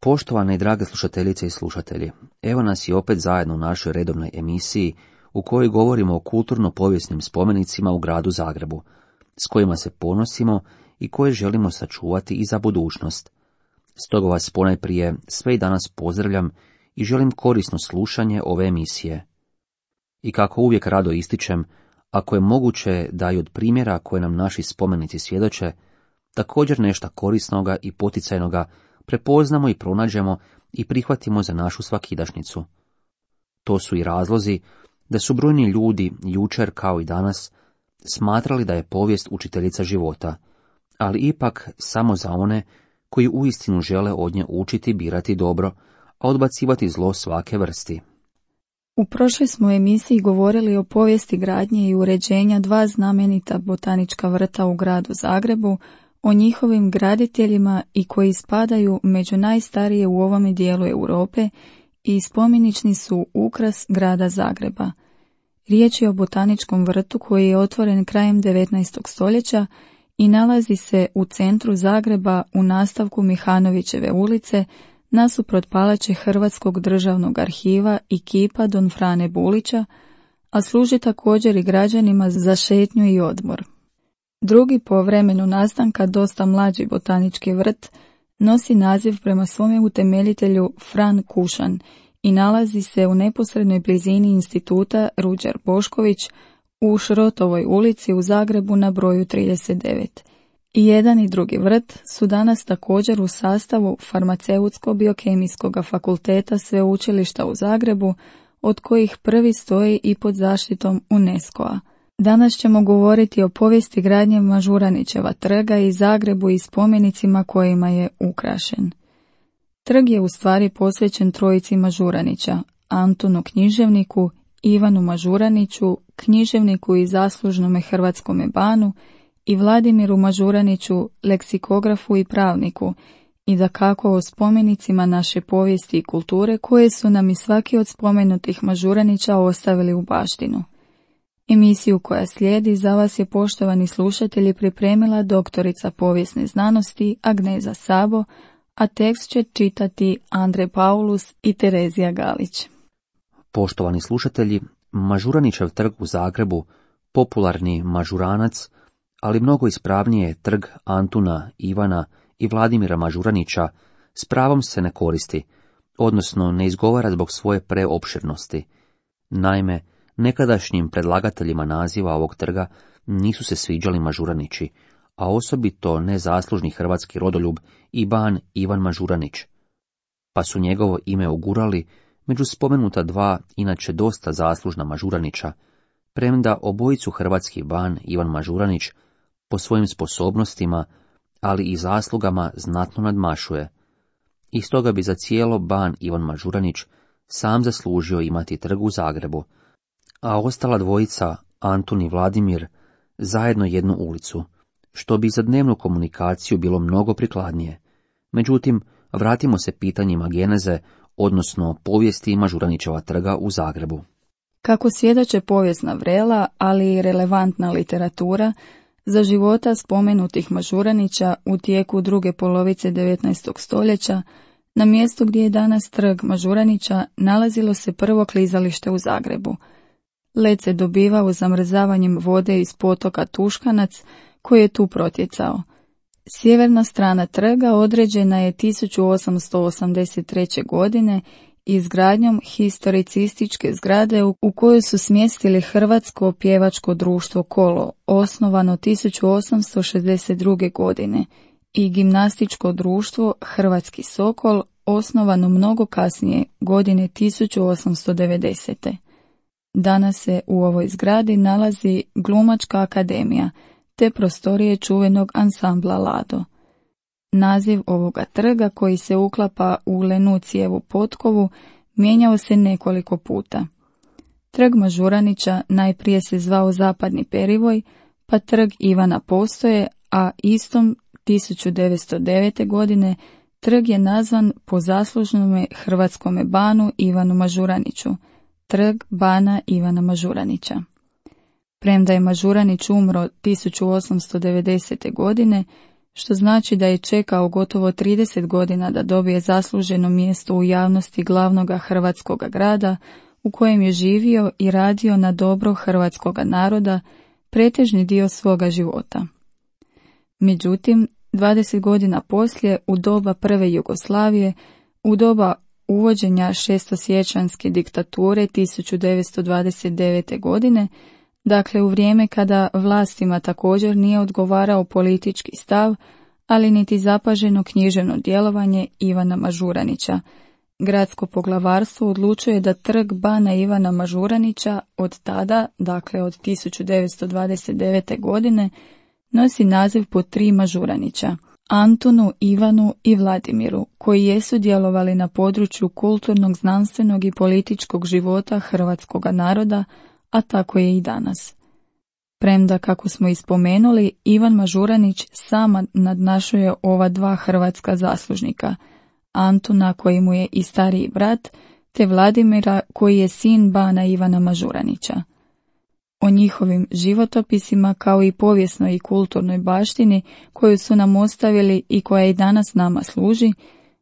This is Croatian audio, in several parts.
Poštovane i drage slušateljice i slušatelji, evo nas i opet zajedno u našoj redovnoj emisiji u kojoj govorimo o kulturno-povijesnim spomenicima u gradu Zagrebu, s kojima se ponosimo i koje želimo sačuvati i za budućnost. Stoga vas ponajprije sve i danas pozdravljam i želim korisno slušanje ove emisije. I kako uvijek rado ističem, ako je moguće da i od primjera koje nam naši spomenici svjedoče, također nešto korisnoga i poticajnoga prepoznamo i pronađemo i prihvatimo za našu svakidašnjicu. To su i razlozi da su brojni ljudi, jučer kao i danas, smatrali da je povijest učiteljica života, ali ipak samo za one koji uistinu žele od nje učiti birati dobro, a odbacivati zlo svake vrsti. U prošloj smo emisiji govorili o povijesti gradnje i uređenja dva znamenita botanička vrta u gradu Zagrebu, o njihovim graditeljima i koji spadaju među najstarije u ovome dijelu Europe i spomenični su ukras grada Zagreba. Riječ je o botaničkom vrtu koji je otvoren krajem 19. stoljeća i nalazi se u centru Zagreba u nastavku Mihanovićeve ulice, nasuprot palače Hrvatskog državnog arhiva i kipa Don Frane Bulića, a služi također i građanima za šetnju i odmor. Drugi po vremenu nastanka dosta mlađi botanički vrt nosi naziv prema svome utemeljitelju Fran Kušan i nalazi se u neposrednoj blizini instituta Ruđer Bošković u Šrotovoj ulici u Zagrebu na broju 39. I jedan i drugi vrt su danas također u sastavu Farmaceutsko-biokemijskog fakulteta Sveučilišta u Zagrebu, od kojih prvi stoji i pod zaštitom UNESCO-a. Danas ćemo govoriti o povijesti gradnje Mažuranićeva trga i Zagrebu i spomenicima kojima je ukrašen. Trg je u stvari posvećen trojici Mažuranića, Antunu književniku, Ivanu Mažuraniću, književniku i zaslužnome hrvatskome banu, i Vladimiru Mažuraniću, leksikografu i pravniku, i dakako o spomenicima naše povijesti i kulture koje su nam i svaki od spomenutih Mažuranića ostavili u baštinu. Emisiju koja slijedi za vas je, poštovani slušatelji, pripremila doktorica povijesne znanosti Agneza Sabo, a tekst će čitati Andrej Paulus i Terezija Galić. Poštovani slušatelji, Mažuranićev trg u Zagrebu, popularni Mažuranac, ali mnogo ispravnije je trg Antuna, Ivana i Vladimira Mažuranića, s pravom se ne koristi, odnosno ne izgovara zbog svoje preopširnosti. Naime, nekadašnjim predlagateljima naziva ovog trga nisu se sviđali Mažuranići, a osobito nezaslužni hrvatski rodoljub i ban Ivan Mažuranić, pa su njegovo ime ugurali među spomenuta dva inače dosta zaslužna Mažuranića, premda obojicu hrvatski ban Ivan Mažuranić po svojim sposobnostima, ali i zaslugama znatno nadmašuje. I stoga bi za cijelo ban Ivan Mažuranić sam zaslužio imati trg u Zagrebu, a ostala dvojica, Antun i Vladimir, zajedno jednu ulicu, što bi za dnevnu komunikaciju bilo mnogo prikladnije. Međutim, vratimo se pitanjima geneze, odnosno povijesti Mažuranićeva trga u Zagrebu. Kako svjedoče povijesna vrela, ali i relevantna literatura, za života spomenutih Mažuranića u tijeku druge polovice 19. stoljeća, na mjestu gdje je danas trg Mažuranića nalazilo se prvo klizalište u Zagrebu. Led se dobivao zamrzavanjem vode iz potoka Tuškanac koji je tu protjecao. Sjeverna strana trga određena je 1883. godine izgradnjom historicističke zgrade u kojoj su smjestili Hrvatsko pjevačko društvo Kolo, osnovano 1862. godine, i gimnastičko društvo Hrvatski Sokol, osnovano mnogo kasnije, godine 1890. Danas se u ovoj zgradi nalazi Glumačka akademija, te prostorije čuvenog ansambla Lado. Naziv ovoga trga, koji se uklapa u Lenucijevu potkovu, mijenjao se nekoliko puta. Trg Mažuranića najprije se zvao Zapadni Perivoj, pa trg Ivana Postoje, a istom 1909. godine trg je nazvan po zaslužnome hrvatskome banu Ivanu Mažuraniću, trg bana Ivana Mažuranića. Premda je Mažuranić umro 1890. godine, što znači da je čekao gotovo 30 godina da dobije zasluženo mjesto u javnosti glavnoga hrvatskoga grada, u kojem je živio i radio na dobro hrvatskoga naroda pretežni dio svoga života. Međutim, 20 godina poslije, u doba prve Jugoslavije, u doba uvođenja šestosiječanjske diktature 1929. godine, dakle u vrijeme kada vlastima također nije odgovarao politički stav, ali niti zapaženo književno djelovanje Ivana Mažuranića, gradsko poglavarstvo odlučuje da trg bana Ivana Mažuranića od tada, dakle od 1929. godine, nosi naziv po 3 Mažuranića, Antunu, Ivanu i Vladimiru, koji jesu djelovali na području kulturnog, znanstvenog i političkog života hrvatskoga naroda, a tako je i danas. Premda, kako smo ispomenuli, Ivan Mažuranić sama nadmašuje ova 2 hrvatska zaslužnika, Antuna koji mu je i stariji brat, te Vladimira koji je sin bana Ivana Mažuranića. O njihovim životopisima kao i povijesnoj i kulturnoj baštini koju su nam ostavili i koja i danas nama služi,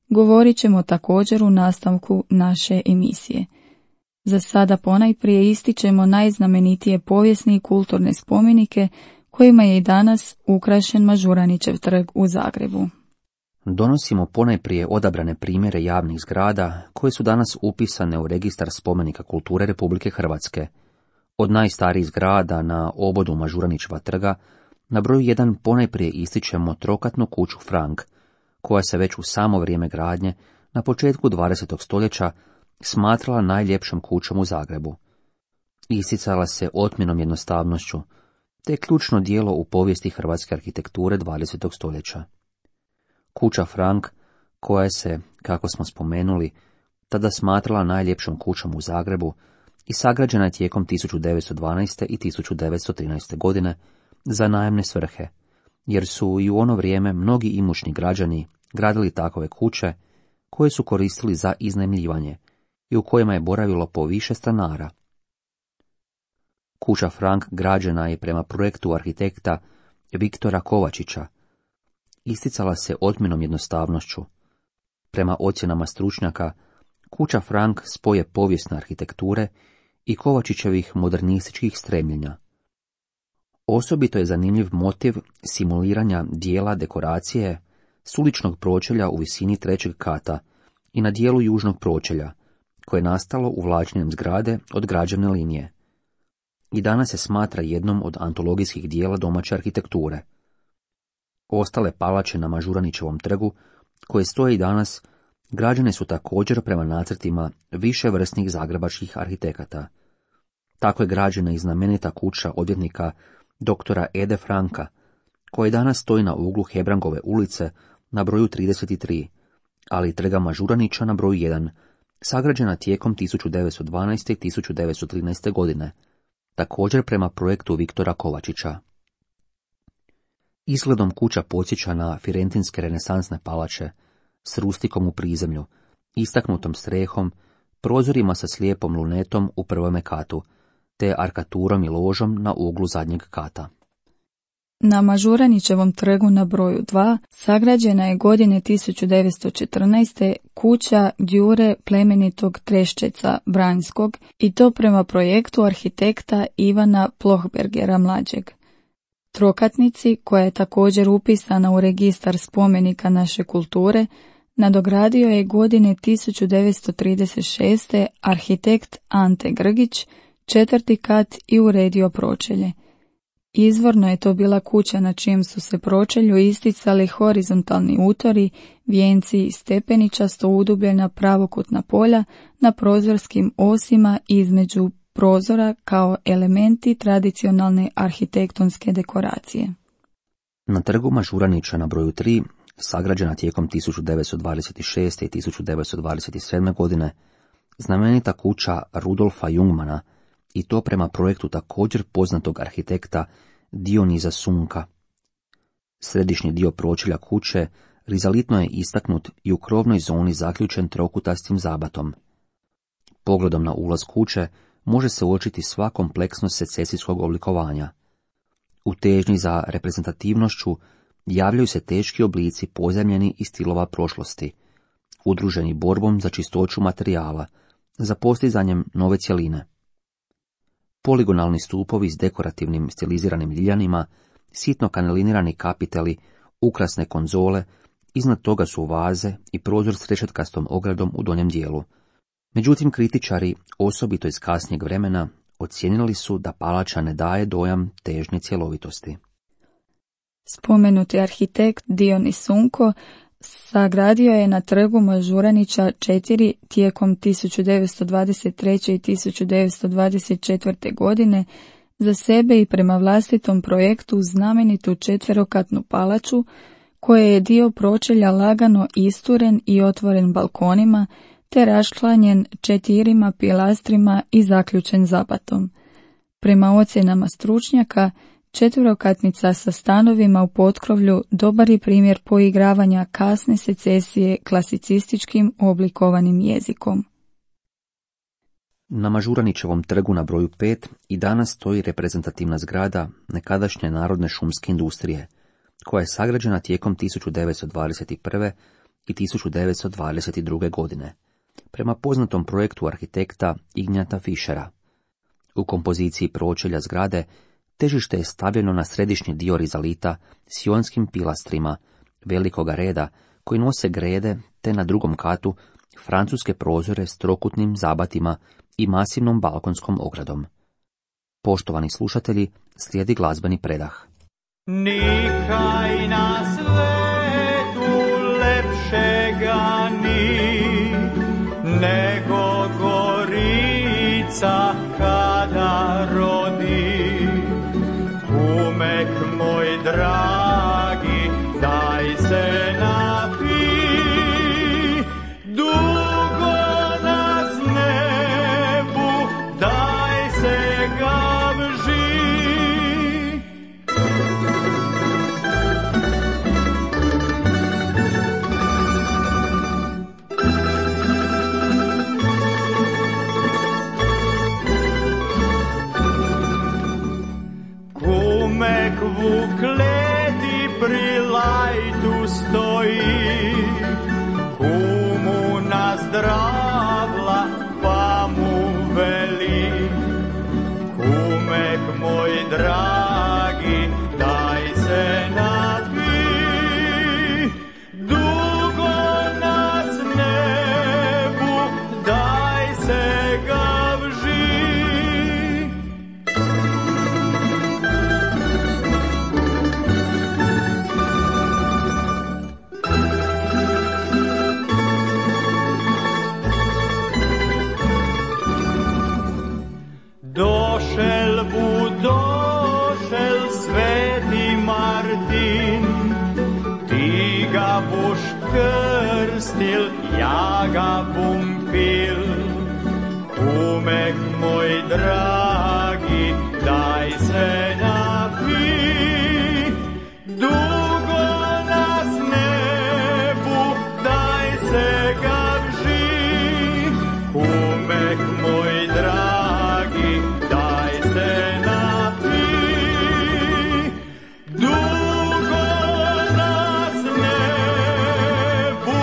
govorit ćemo također u nastavku naše emisije. Za sada ponajprije ističemo najznamenitije povijesne i kulturne spomenike kojima je i danas ukrašen Mažuranićev trg u Zagrebu. Donosimo ponajprije odabrane primjere javnih zgrada koje su danas upisane u registar spomenika kulture Republike Hrvatske. Od najstarijih zgrada na obodu Mažuranićeva trga, na broju 1 ponajprije ističemo trokatnu kuću Frank, koja se već u samo vrijeme gradnje, na početku 20. stoljeća, smatrala najljepšom kućom u Zagrebu. Isticala se otmjenom jednostavnošću, te je ključno djelo u povijesti hrvatske arhitekture 20. stoljeća. Kuća Frank, koja se, kako smo spomenuli, tada smatrala najljepšom kućom u Zagrebu i sagrađena je tijekom 1912. i 1913. godine za najamne svrhe, jer su i u ono vrijeme mnogi imućni građani gradili takove kuće koje su koristili za iznajmljivanje i u kojima je boravilo po više stanara. Kuća Frank građena je prema projektu arhitekta Viktora Kovačića. Isticala se otmjenom jednostavnošću. Prema ocjenama stručnjaka, kuća Frank spoje povijesne arhitekture i Kovačićevih modernističkih stremljenja. Osobito je zanimljiv motiv simuliranja dijela dekoracije s uličnog pročelja u visini 3. kata i na dijelu južnog pročelja, koje je nastalo uvlačenjem zgrade od građevne linije. I danas se smatra jednom od antologijskih dijela domaće arhitekture. Ostale palače na Mažuranićevom trgu, koje stoje i danas, građene su također prema nacrtima više vrsnih zagrebačkih arhitekata. Tako je građena i znamenita kuća odvjetnika doktora Ede Franka, koja danas stoji na uglu Hebrangove ulice na broju 33, ali i trga Mažuranića na broju 1, sagrađena tijekom 1912. i 1913. godine, također prema projektu Viktora Kovačića. Izgledom kuća podsjeća na firentinske renesansne palače, s rustikom u prizemlju, istaknutom strehom, prozorima sa slijepom lunetom u prvome katu, te arkaturom i ložom na uglu zadnjeg kata. Na Mažuranićevom trgu na broju 2 sagrađena je godine 1914. kuća Đure plemenitog Treščeca Vranjskog i to prema projektu arhitekta Ivana Plohbergera mlađeg. Trokatnici, koja je također upisana u registar spomenika naše kulture, nadogradio je godine 1936. arhitekt Ante Grgić, 4. kat i uredio pročelje. Izvorno je to bila kuća na čijem su se pročelju isticali horizontalni utori, vijenci i stepeničasto udubljena pravokutna polja na prozorskim osima između prozora kao elementi tradicionalne arhitektonske dekoracije. Na trgu Mažuranića na broju 3, sagrađena tijekom 1926. i 1927. godine, znamenita kuća Rudolfa Jungmana, i to prema projektu također poznatog arhitekta Dioniza Sunka. Središnji dio pročelja kuće rizalitno je istaknut i u krovnoj zoni zaključen trokutastim zabatom. Pogledom na ulaz kuće može se uočiti sva kompleksnost secesijskog oblikovanja. U težnji za reprezentativnošću javljaju se teški oblici pozajmljeni iz stilova prošlosti, udruženi borbom za čistoću materijala, za postizanjem nove cjeline. Poligonalni stupovi s dekorativnim stiliziranim ljiljanima, sitno kanelinirani kapiteli, ukrasne konzole, iznad toga su vaze i prozor s rešetkastom ogradom u donjem dijelu. Međutim, kritičari, osobito iz kasnijeg vremena, ocijenili su da palača ne daje dojam težnje cjelovitosti. Spomenuti arhitekt Dionis Sunko sagradio je na trgu Mažuranića 4 tijekom 1923. i 1924. godine za sebe i prema vlastitom projektu znamenitu četverokatnu palaču, koja je dio pročelja lagano isturen i otvoren balkonima, te raščlanjen 4 pilastrima i zaključen zabatom. Prema ocjenama stručnjaka, četverokatnica sa stanovima u potkrovlju dobar je primjer poigravanja kasne secesije klasicističkim oblikovanim jezikom. Na Mažuranićevom trgu na broju 5 i danas stoji reprezentativna zgrada nekadašnje Narodne šumske industrije, koja je sagrađena tijekom 1921. i 1922. godine, prema poznatom projektu arhitekta Ignjata Fischera. U kompoziciji pročelja zgrade težište je stavljeno na središnji dio rizalita s ionskim pilastrima velikoga reda koji nose grede, te na drugom katu francuske prozore s trokutnim zabatima i masivnom balkonskom ogradom. Poštovani slušatelji, slijedi glazbeni predah. Nikaj na svetu lepšega ni, nego Gorica kada rodi. Kumek moj dragi, daj se napi, dugo nas nebu, daj se gavži. U kleti pri lajtu stoji, kumu nazdravla pa mu veli. Kumek moj dragi, daj se napi, dugo nas nebu, daj se gavži. Došel sveti Martin, ti ga boš krstil, ja ga bom pil. Kumek moj dragi, daj se napi, dugo nas nebu, daj se gavži. Kumek moj dragi, daj se napi, dugo nas nebu,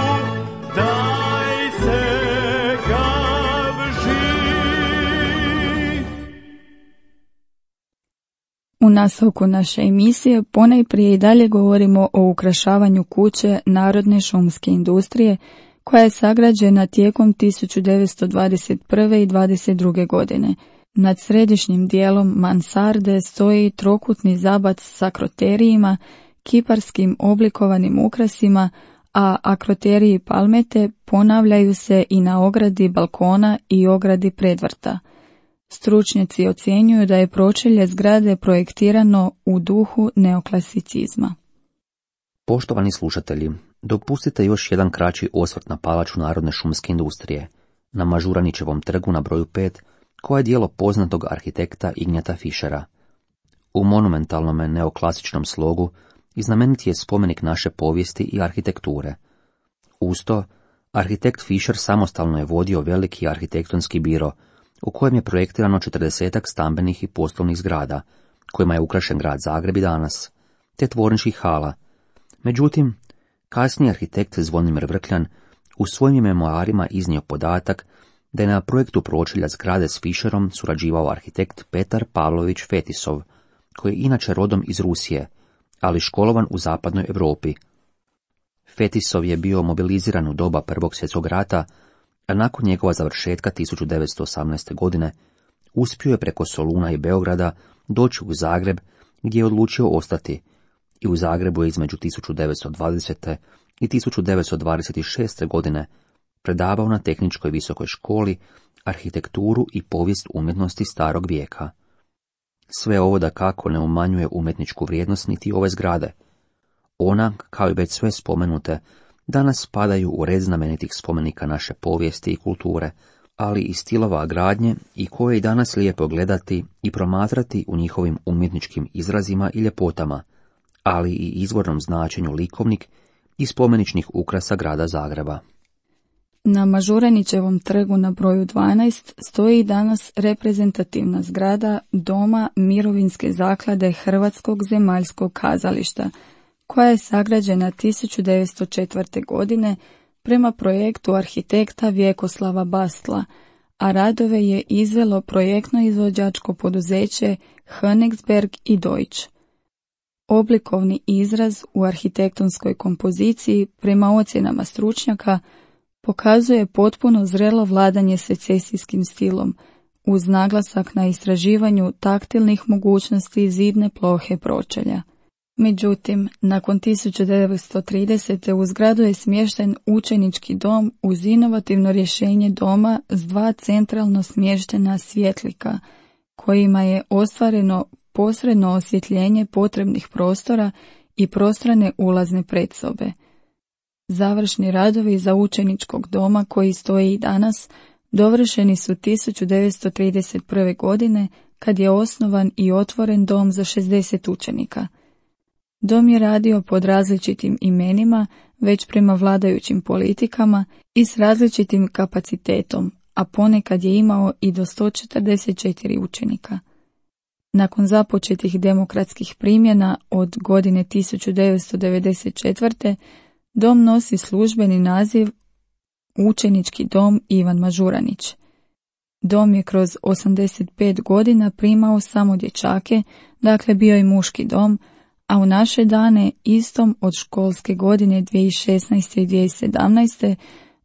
daj se gavži. U nastavku naše emisije ponajprije i dalje govorimo o ukrašavanju kuće Narodne šumske industrije, koja je sagrađena tijekom 1921. i 1922. godine. Nad središnjim dijelom mansarde stoji trokutni zabac s akroterijima, kiparskim oblikovanim ukrasima, a akroteriji i palmete ponavljaju se i na ogradi balkona i ogradi predvrta. Stručnjaci ocjenjuju da je pročelje zgrade projektirano u duhu neoklasicizma. Poštovani slušatelji, dopustite još jedan kraći osvrt na palaču Narodne šumske industrije, na Mažuranićevom trgu na broju 5, koja je djelo poznatog arhitekta Ignjata Fischera. U monumentalnom neoklasičnom slogu i znamenit je spomenik naše povijesti i arhitekture. Uz to, arhitekt Fischer samostalno je vodio veliki arhitektonski biro, u kojem je projektirano 40 stambenih i poslovnih zgrada, kojima je ukrašen grad Zagreb i danas, te tvorničkih hala, Međutim, kasniji arhitekt Zvonimir Vrkljan u svojim memoarima iznio podatak da je na projektu pročelja zgrade s Fischerom surađivao arhitekt Petar Pavlović Fetisov, koji je inače rodom iz Rusije, ali školovan u zapadnoj Europi. Fetisov je bio mobiliziran u doba Prvog svjetskog rata, a nakon njegova završetka 1918. godine uspio je preko Soluna i Beograda doći u Zagreb, gdje je odlučio ostati, i u Zagrebu je između 1920. i 1926. godine predavao na Tehničkoj visokoj školi arhitekturu i povijest umjetnosti starog vijeka. Sve ovo dakako ne umanjuje umjetničku vrijednost niti ove zgrade. Ona, kao i već sve spomenute, danas spadaju u red znamenitih spomenika naše povijesti i kulture, ali i stilova gradnje i koje i danas lijepo gledati i promatrati u njihovim umjetničkim izrazima i ljepotama, ali i izvornom značenju likovnik i spomeničnih ukrasa grada Zagreba. Na Mažuranićevom trgu na broju 12 stoji danas reprezentativna zgrada Doma Mirovinske zaklade Hrvatskog zemaljskog kazališta, koja je sagrađena 1904. godine prema projektu arhitekta Vjekoslava Bastla, a radove je izvelo projektno-izvođačko poduzeće Königsberg i Deutsch. Oblikovni izraz u arhitektonskoj kompoziciji, prema ocjenama stručnjaka, pokazuje potpuno zrelo vladanje secesijskim stilom, uz naglasak na istraživanju taktilnih mogućnosti zidne plohe pročelja. Međutim, nakon 1930. u zgradu je smješten učenički dom uz inovativno rješenje doma s dva centralno smještena svjetlika, kojima je ostvareno posredno osvjetljenje potrebnih prostora i prostrane ulazne predsobe. Završni radovi za učeničkog doma, koji stoji i danas, dovršeni su 1931. godine, kad je osnovan i otvoren dom za 60 učenika. Dom je radio pod različitim imenima, već prema vladajućim politikama i s različitim kapacitetom, a ponekad je imao i do 144 učenika. Nakon započetih demokratskih primjena od godine 1994. dom nosi službeni naziv Učenički dom Ivan Mažuranić. Dom je kroz 85 godina primao samo dječake, dakle bio i muški dom, a u naše dane, istom od školske godine 2016. i 2017.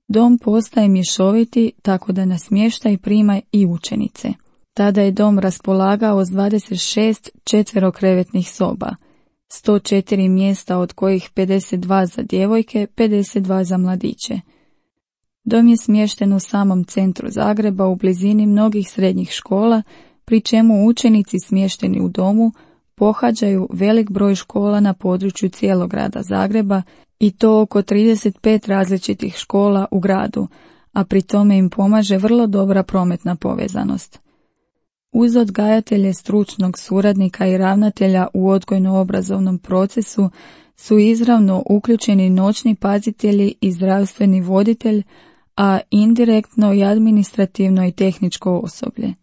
dom postaje mješoviti, tako da na smještaj prima i učenice. Tada je dom raspolagao s 26 četverokrevetnih soba, 104 mjesta, od kojih 52 za djevojke, 52 za mladiće. Dom je smješten u samom centru Zagreba, u blizini mnogih srednjih škola, pri čemu učenici smješteni u domu pohađaju velik broj škola na području cijelog grada Zagreba, i to oko 35 različitih škola u gradu, a pri tome im pomaže vrlo dobra prometna povezanost. Uz odgajatelje, stručnog suradnika i ravnatelja u odgojno-obrazovnom procesu su izravno uključeni noćni pazitelji i zdravstveni voditelj, a indirektno i administrativno i tehničko osoblje.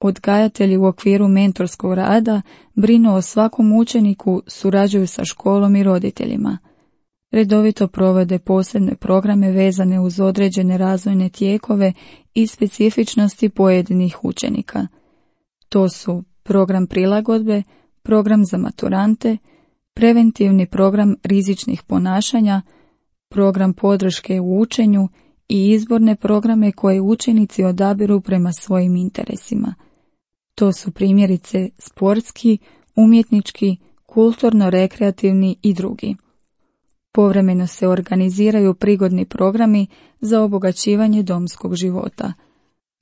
Odgajatelji u okviru mentorskog rada brinu o svakom učeniku, surađuju sa školom i roditeljima. Redovito provode posebne programe vezane uz određene razvojne tijekove i specifičnosti pojedinih učenika. To su program prilagodbe, program za maturante, preventivni program rizičnih ponašanja, program podrške u učenju i izborne programe koje učenici odabiru prema svojim interesima. To su primjerice sportski, umjetnički, kulturno-rekreativni i drugi. Povremeno se organiziraju prigodni programi za obogaćivanje domskog života,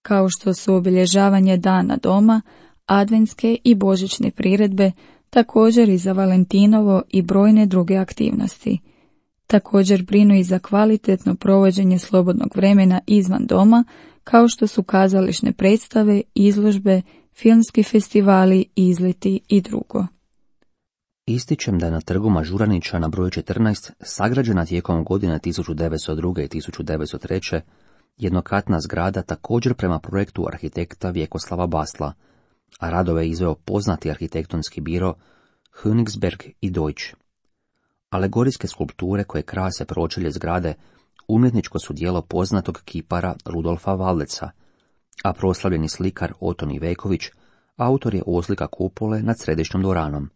kao što su obilježavanje dana doma, adventske i božićne priredbe, također i za Valentinovo i brojne druge aktivnosti. Također brinu i za kvalitetno provođenje slobodnog vremena izvan doma, kao što su kazališne predstave, izložbe, filmski festivali, izleti i drugo. Ističem da je na trgu Mažuranića na broju 14 sagrađena tijekom godina 1902. i 1903. jednokatna zgrada, također prema projektu arhitekta Vjekoslava Bastla, a radove je izveo poznati arhitektonski biro Königsberg i Deutsch. Alegorijske skulpture koje krase pročelje zgrade umjetničko su djelo poznatog kipara Rudolfa Valdeca, a proslavljeni slikar Oton Iveković autor je oslika kupole nad središnjom dvoranom.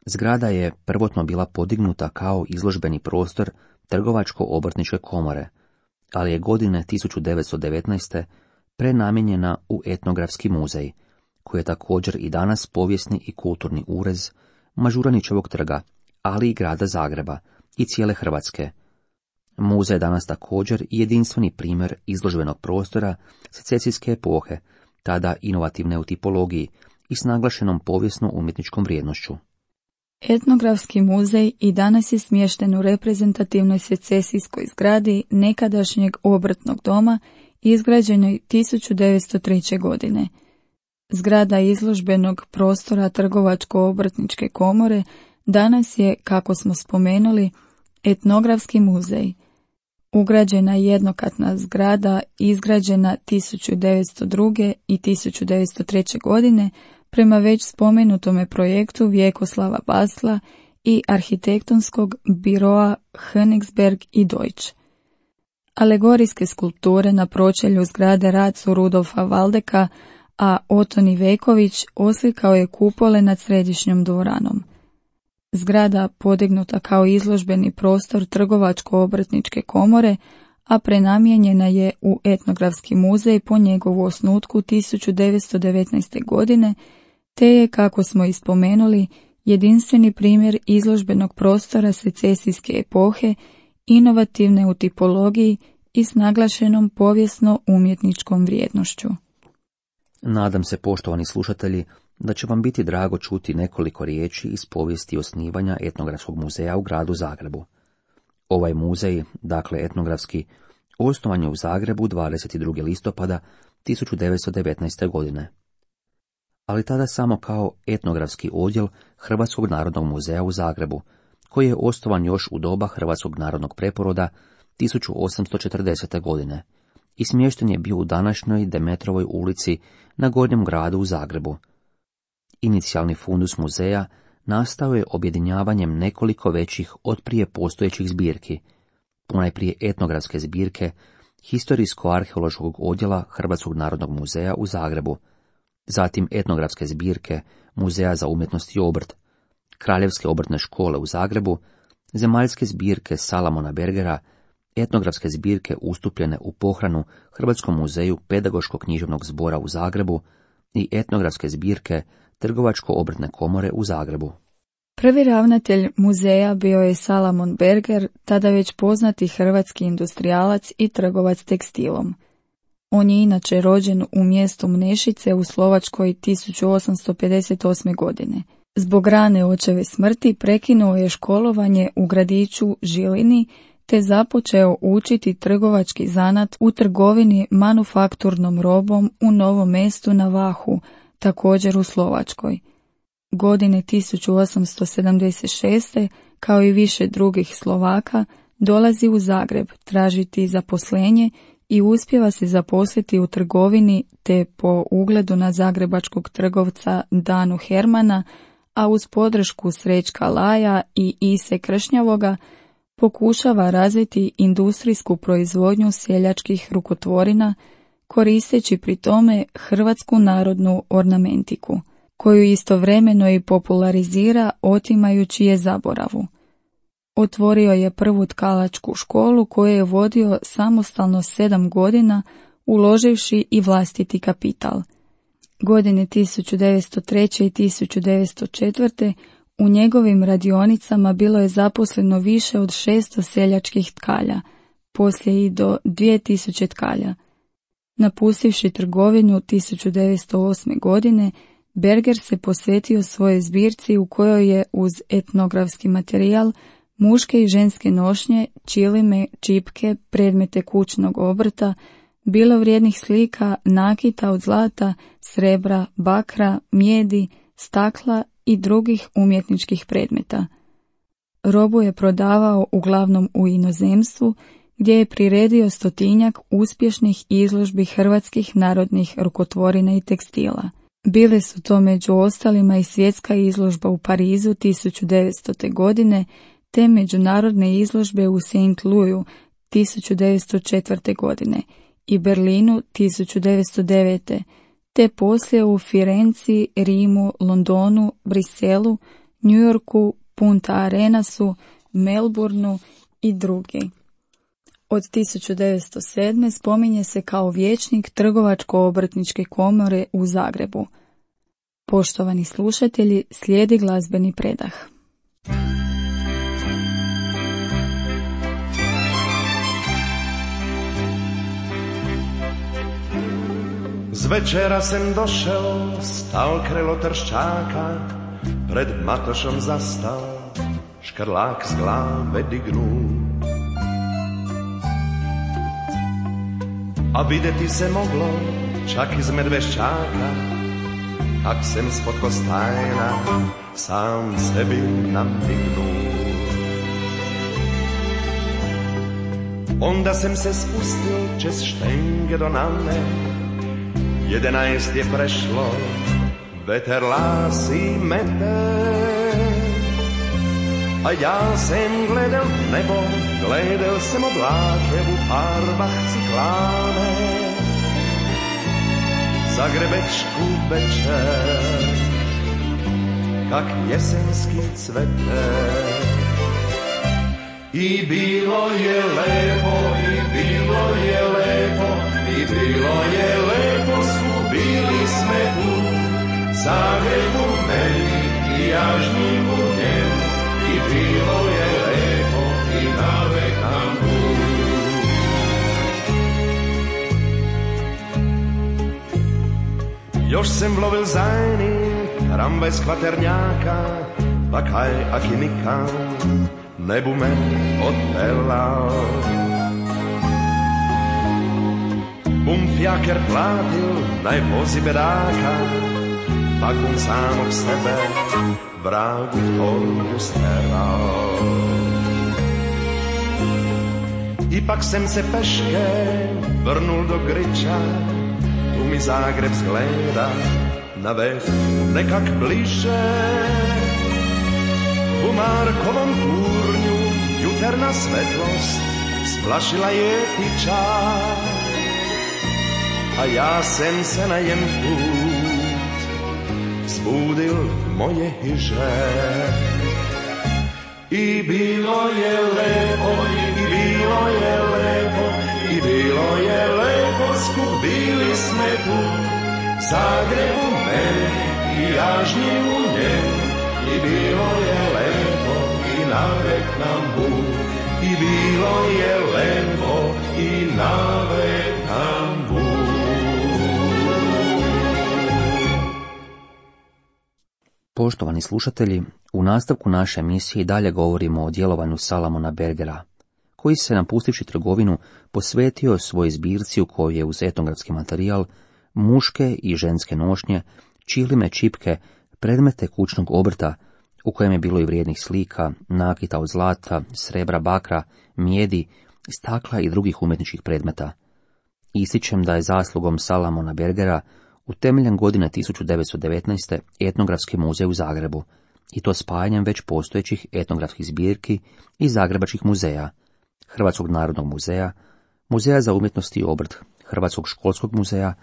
Zgrada je prvotno bila podignuta kao izložbeni prostor Trgovačko-obrtničke komore, ali je godine 1919. prenamijenjena u etnografski muzej, koji je također i danas povijesni i kulturni urez Mažuranićevog trga, ali i grada Zagreba i cijele Hrvatske. Muzej je danas također i jedinstveni primjer izložbenog prostora secesijske epohe, tada inovativne u tipologiji i s naglašenom povijesno-umjetničkom vrijednošću. Etnografski muzej i danas je smješten u reprezentativnoj secesijskoj zgradi nekadašnjeg obrtnog doma izgrađenoj 1903. godine. Zgrada izložbenog prostora Trgovačko-obrtničke komore danas je, kako smo spomenuli, etnografski muzej. Ugrađena je jednokatna zgrada izgrađena 1902. i 1903. godine prema već spomenutome projektu Vjekoslava Basla i arhitektonskog biroa Königsberg i Deutsch. Alegorijske skulpture na pročelju zgrade rad su Rudolfa Valdeka, a Oton Iveković oslikao je kupole nad središnjom dvoranom. Zgrada podignuta kao izložbeni prostor Trgovačko-obrtničke komore, a prenamijenjena je u etnografski muzej po njegovu osnutku 1919. godine, te je, kako smo i spomenuli, jedinstveni primjer izložbenog prostora secesijske epohe, inovativne u tipologiji i s naglašenom povijesno-umjetničkom vrijednošću. Nadam se, poštovani slušatelji, da će vam biti drago čuti nekoliko riječi iz povijesti osnivanja etnografskog muzeja u gradu Zagrebu. Ovaj muzej, dakle etnografski, osnovan je u Zagrebu 22. listopada 1919. godine. Ali tada samo kao etnografski odjel Hrvatskog narodnog muzeja u Zagrebu, koji je osnovan još u doba Hrvatskog narodnog preporoda 1840. godine i smješten je bio u današnjoj Demetrovoj ulici na Gornjem gradu u Zagrebu. Inicijalni fundus muzeja nastao je objedinjavanjem nekoliko većih od prije postojećih zbirki, ponajprije etnografske zbirke Historijsko-arheološkog odjela Hrvatskog narodnog muzeja u Zagrebu, zatim etnografske zbirke Muzeja za umjetnost i obrt, Kraljevske obrtne škole u Zagrebu, zemaljske zbirke Salamona Bergera, etnografske zbirke ustupljene u pohranu Hrvatskom muzeju Pedagoško-književnog zbora u Zagrebu i etnografske zbirke Trgovačko-obrtne komore u Zagrebu. Prvi ravnatelj muzeja bio je Salamon Berger, tada već poznati hrvatski industrijalac i trgovac tekstilom. On je inače rođen u mjestu Mnešice u Slovačkoj 1858. godine. Zbog rane očeve smrti prekinuo je školovanje u gradiću Žilini te započeo učiti trgovački zanat u trgovini manufakturnom robom u Novom Mestu na Vahu, također u Slovačkoj. Godine 1876. kao i više drugih Slovaka dolazi u Zagreb tražiti zaposlenje i uspijeva se zaposliti u trgovini te po ugledu na zagrebačkog trgovca Danu Hermana, a uz podršku Srećka Laja i Ise Kršnjavoga pokušava razviti industrijsku proizvodnju seljačkih rukotvorina, koristeći pri tome hrvatsku narodnu ornamentiku, koju istovremeno i popularizira otimajući je zaboravu. Otvorio je prvu tkalačku školu koju je vodio samostalno 7 godina, uloživši i vlastiti kapital. Godine 1903. i 1904. u njegovim radionicama bilo je zaposleno više od 600 seljačkih tkalja, poslije i do 2000 tkalja. Napustivši trgovinu 1908. godine, Berger se posvetio svojoj zbirci u kojoj je uz etnografski materijal, muške i ženske nošnje, čilime, čipke, predmete kućnog obrta, bilo vrijednih slika, nakita od zlata, srebra, bakra, mijedi, stakla i drugih umjetničkih predmeta. Robu je prodavao uglavnom u inozemstvu, gdje je priredio 100 uspješnih izložbi hrvatskih narodnih rukotvorina i tekstila. Bile su to među ostalima i svjetska izložba u Parizu 1900. godine, te međunarodne izložbe u St. Louisu 1904. godine i Berlinu 1909. te poslije u Firenci, Rimu, Londonu, Briselu, New Yorku, Punta Arenasu, Melbourneu i drugi. Od 1907. spominje se kao vijećnik Trgovačko-obrtničke komore u Zagrebu. Poštovani slušatelji, slijedi glazbeni predah. Z večera sem došel, stal krelo Trščáka, pred Matošom zastal, škrlák z glave dignu. A videti se moglo, čak iz Medveščáka, kak sem spod Kostajna sám sebi namignul. Onda sem se spustil čez štenge do Name, 11 je prešlo, veter lási mete. A ja sem gledal nebo, gledal sem obláke v farbách cykláne. Zagrebečku večer, kak jesenský cveter. I bilo je lepo, i bilo je lepo, i bilo je lepo, skubili sme tu. Zagrebu meni i jažniku njemu, i bilo je lepo, i navek nam tu. Još sem vlovil zajni, tramvaj z Kvaternjaka, pa kaj aki nikam, nebu me odpelal. Bum fjaker platil, naj vozi bedáka, pak bum samog sebe vragu torbu steral. Ipak sem se peške vrnul do Griča, tu mi Zagreb zgleda na veh nekak bliže. U Markovom turnju jutarna svetlost splašila je tiča, a ja sem se na jen put zbudil moje hiže. I bilo je lepo, i bilo je lepo, i bilo je lepo, skubili sme tu. Zagrebu meni i jažnji u njemu, i bilo je lepo, i navek nam Bog. I bilo je lepo, i navek nam Bog. Poštovani slušatelji, u nastavku naše emisije i dalje govorimo o djelovanju Salamona Bergera, koji se napustivši trgovinu posvetio svojoj zbirci u kojoj je uz etnografski materijal, muške i ženske nošnje, čilime, čipke, predmete kućnog obrta, u kojem je bilo i vrijednih slika, nakita od zlata, srebra, bakra, mijedi, stakla i drugih umjetničkih predmeta. Ističem da je zaslugom Salamona Bergera utemeljen godine 1919. etnografski muzej u Zagrebu, i to spajanjem već postojećih etnografskih zbirki iz zagrebačkih muzeja, Hrvatskog narodnog muzeja, Muzeja za umjetnost i obrt, Hrvatskog školskog muzeja,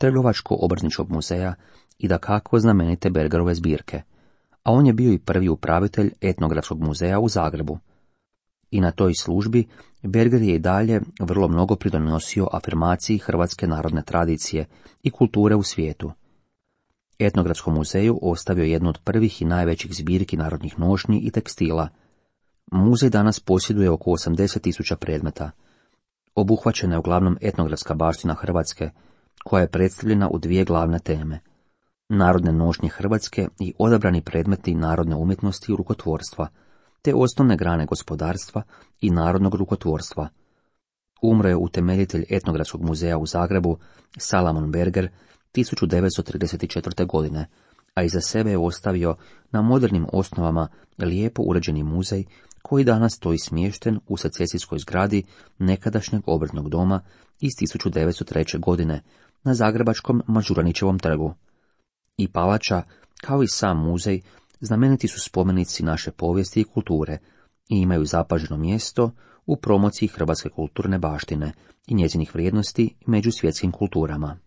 Trgovačko-obrtničkog muzeja i dakako znamenite Bergerove zbirke, a on je bio i prvi upravitelj etnografskog muzeja u Zagrebu. I na toj službi Berger je i dalje vrlo mnogo pridonosio afirmaciji hrvatske narodne tradicije i kulture u svijetu. Etnografskom muzeju ostavio jednu od prvih i najvećih zbirki narodnih nošnji i tekstila. Muzej danas posjeduje oko 80.000 predmeta. Obuhvaćena je uglavnom etnografska baština Hrvatske, koja je predstavljena u dvije glavne teme: narodne nošnje Hrvatske i odabrani predmeti narodne umjetnosti i rukotvorstva, te osnovne grane gospodarstva i narodnog rukotvorstva. Umro je utemeljitelj etnografskog muzeja u Zagrebu, Salamon Berger, 1934. godine, a iza sebe je ostavio na modernim osnovama lijepo uređeni muzej koji danas stoji smješten u secesijskoj zgradi nekadašnjeg obrtnog doma iz 1903. godine na zagrebačkom Mažuranićevom trgu. I palača, kao i sam muzej, znameniti su spomenici naše povijesti i kulture i imaju zapaženo mjesto u promociji hrvatske kulturne baštine i njezinih vrijednosti među svjetskim kulturama.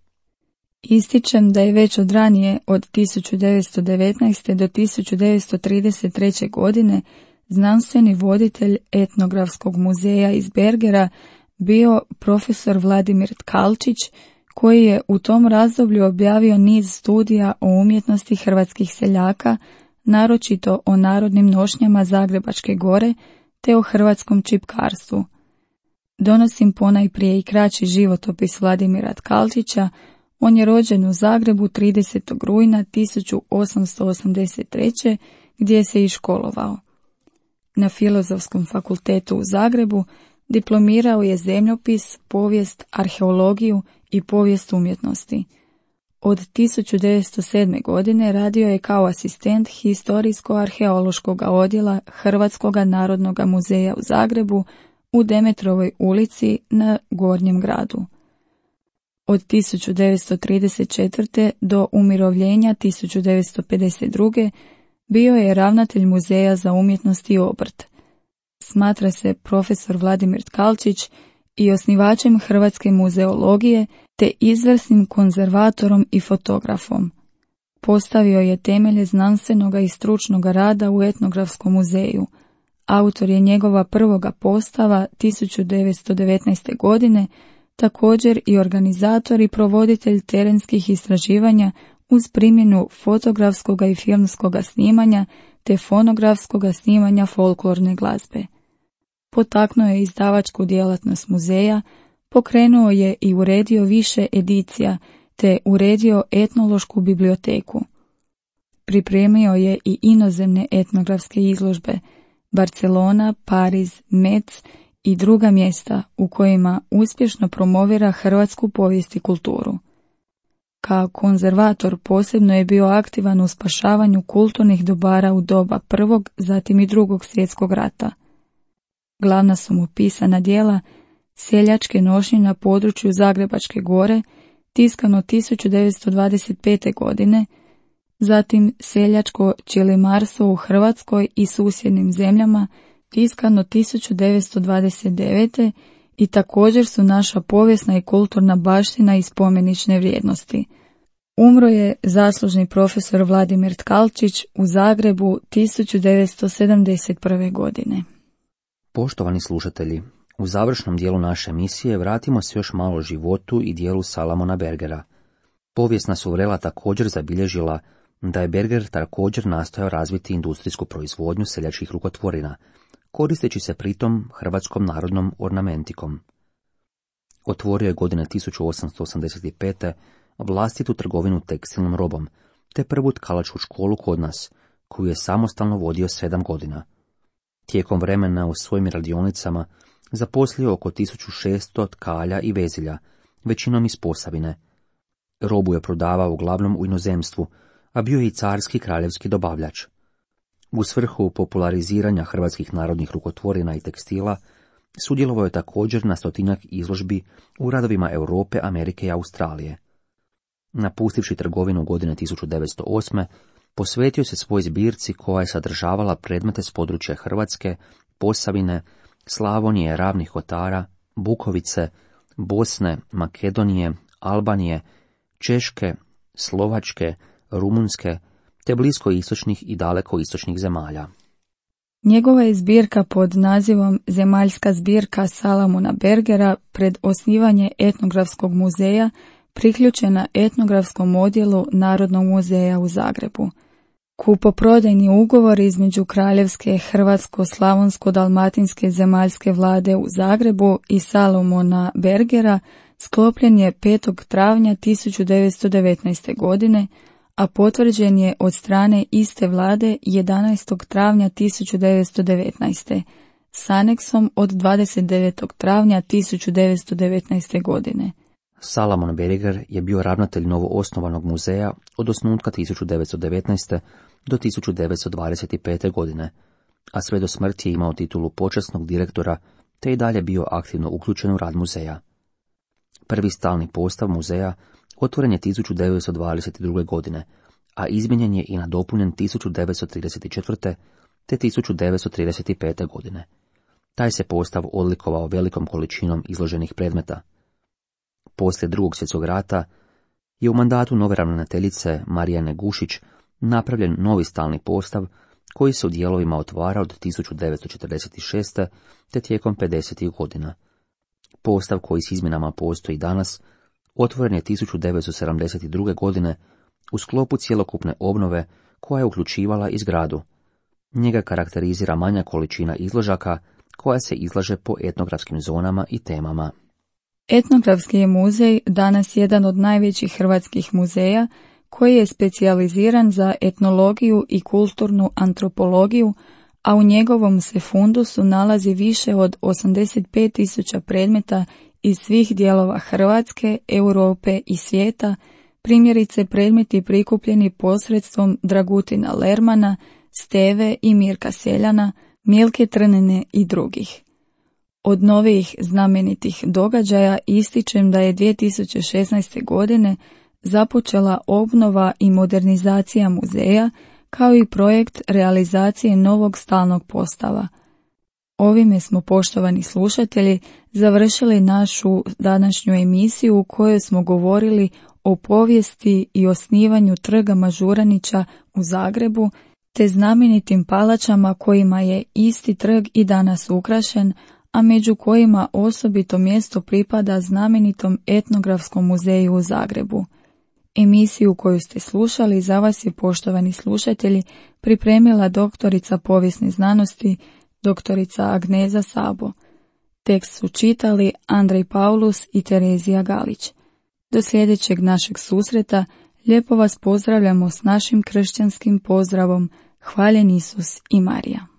Ističem da je već od ranije, od 1919. do 1933. godine, znanstveni voditelj etnografskog muzeja iz Bergera bio profesor Vladimir Tkalčić, koji je u tom razdoblju objavio niz studija o umjetnosti hrvatskih seljaka, naročito o narodnim nošnjama Zagrebačke gore te o hrvatskom čipkarstvu. Donosim ponajprije i kraći životopis Vladimira Tkalčića. On je rođen u Zagrebu 30. rujna 1883. gdje se i školovao. Na Filozofskom fakultetu u Zagrebu diplomirao je zemljopis, povijest, arheologiju i povijest umjetnosti. Od 1907. godine radio je kao asistent historijsko-arheološkog odjela Hrvatskog narodnog muzeja u Zagrebu u Demetrovoj ulici na Gornjem gradu. Od 1934. do umirovljenja 1952. bio je ravnatelj Muzeja za umjetnost i obrt. Smatra se profesor Vladimir Tkalčić i osnivačem hrvatske muzeologije te izvrsnim konzervatorom i fotografom. Postavio je temelje znanstvenoga i stručnoga rada u etnografskom muzeju. Autor je njegova prvoga postava 1919. godine, također i organizator i provoditelj terenskih istraživanja uz primjenu fotografskog i filmskog snimanja te fonografskog snimanja folklorne glazbe. Potaknuo je izdavačku djelatnost muzeja, pokrenuo je i uredio više edicija te uredio etnološku biblioteku. Pripremio je i inozemne etnografske izložbe Barcelona, Pariz, Metz i druga mjesta u kojima uspješno promovira hrvatsku povijest i kulturu. Kao konzervator posebno je bio aktivan u spašavanju kulturnih dobara u doba Prvog, zatim i Drugog svjetskog rata. Glavna su mu pisana djela Seljačke nošnje na području Zagrebačke gore, tiskano 1925. godine, zatim Seljačko ćelimarstvo u Hrvatskoj i susjednim zemljama, tiskano 1929. i također su naša povijesna i kulturna baština i spomenične vrijednosti. Umro je zaslužni profesor Vladimir Tkalčić u Zagrebu 1971. godine. Poštovani slušatelji, u završnom dijelu naše emisije vratimo se još malo životu i dijelu Salamona Bergera. Povijesna su vrela također zabilježila da je Berger također nastojao razviti industrijsku proizvodnju seljačkih rukotvorina, koristeći se pritom hrvatskom narodnom ornamentikom. Otvorio je godine 1885. vlastitu trgovinu tekstilnom robom, te prvu tkalačku školu kod nas, koju je samostalno vodio 7 godina. Tijekom vremena u svojim radionicama zaposlio oko 1600 tkalja i vezilja, većinom iz Posavine. Robu je prodavao uglavnom u inozemstvu, a bio je i carski kraljevski dobavljač. U svrhu populariziranja hrvatskih narodnih rukotvorina i tekstila sudjelovao je također na 100-tinjak izložbi u radovima Europe, Amerike i Australije. Napustivši trgovinu godine 1908. posvetio se svoj zbirci koja je sadržavala predmete s područja Hrvatske, Posavine, Slavonije, Ravnih Kotara, Bukovice, Bosne, Makedonije, Albanije, Češke, Slovačke, Rumunjske, te bliskoistočnih i dalekoistočnih zemalja. Njegova je zbirka pod nazivom Zemaljska zbirka Salamona Bergera pred osnivanje etnografskog muzeja priključena etnografskom odjelu Narodnog muzeja u Zagrebu. Kupoprodajni ugovor između Kraljevske Hrvatsko-Slavonsko-Dalmatinske zemaljske vlade u Zagrebu i Salomona Bergera sklopljen je 5. travnja 1919. godine, a potvrđen je od strane iste vlade 11. travnja 1919. s aneksom od 29. travnja 1919. godine. Salamon Berger je bio ravnatelj novoosnovanog muzeja od osnutka 1919. do 1925. godine, a sve do smrti je imao titulu počasnog direktora te i dalje bio aktivno uključen u rad muzeja. Prvi stalni postav muzeja otvoren je 1922. godine, a izmijenjen je i nadopunjen 1934. te 1935. godine. Taj se postav odlikovao velikom količinom izloženih predmeta. Poslije Drugog svjetskog rata je u mandatu nove ravnateljice Marijane Gušić napravljen novi stalni postav koji se u dijelovima otvara od 1946. te tijekom 50. godina. Postav koji s izmjenama postoji danas otvoren je 1972. godine u sklopu cjelokupne obnove koja je uključivala i zgradu. Njega karakterizira manja količina izložaka koja se izlaže po etnografskim zonama i temama. Etnografski je muzej danas jedan od najvećih hrvatskih muzeja koji je specijaliziran za etnologiju i kulturnu antropologiju, a u njegovom se fundusu nalazi više od 85.000 predmeta iz svih dijelova Hrvatske, Europe i svijeta, primjerice predmeti prikupljeni posredstvom Dragutina Lermana, Steve i Mirka Seljana, Milke Trnene i drugih. Od novih znamenitih događaja ističem da je 2016. godine započela obnova i modernizacija muzeja, kao i projekt realizacije novog stalnog postava. Ovime smo, poštovani slušatelji, završili našu današnju emisiju u kojoj smo govorili o povijesti i osnivanju trga Mažuranića u Zagrebu, te znamenitim palačama kojima je isti trg i danas ukrašen, a među kojima osobito mjesto pripada znamenitom etnografskom muzeju u Zagrebu. Emisiju koju ste slušali za vas je, poštovani slušatelji, pripremila doktorica povijesne znanosti, doktorica Agneza Sabo. Tekst su čitali Andrej Paulus i Terezija Galić. Do sljedećeg našeg susreta lijepo vas pozdravljamo s našim kršćanskim pozdravom: Hvaljen Isus i Marija.